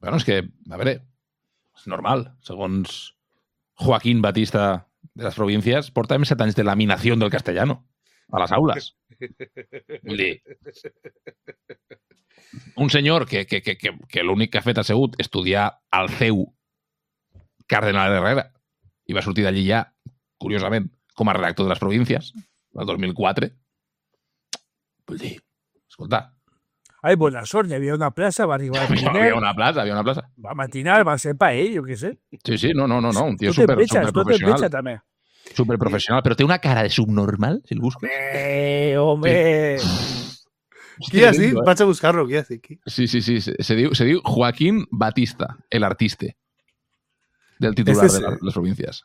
Bueno, és que, a veure, és normal. Segons Joaquín Batista de les províncies, porta 7 anys de laminació del castellano a les aules. Vull dir, un senyor que l'únic que ha fet ha sigut estudiar al CEU Cardenal Herrera i va sortir d'allí ja, curiosament, com a redactor de les províncies, el 2004. Vull dir, escolta... Ai, bona sort, hi havia una plaça, va arribar a Pirineu. Havia una plaça. Va matinar, va ser per ell, jo què sé. Sí, no, un tio Tot et veig, superprofessional. també. Superprofessional, però té una cara de subnormal, si el busques. Home! Qui has dit? Vaig a buscar-lo, qui has dit? Sí. Se diu Joaquín Batista, el artiste del titular de les províncies.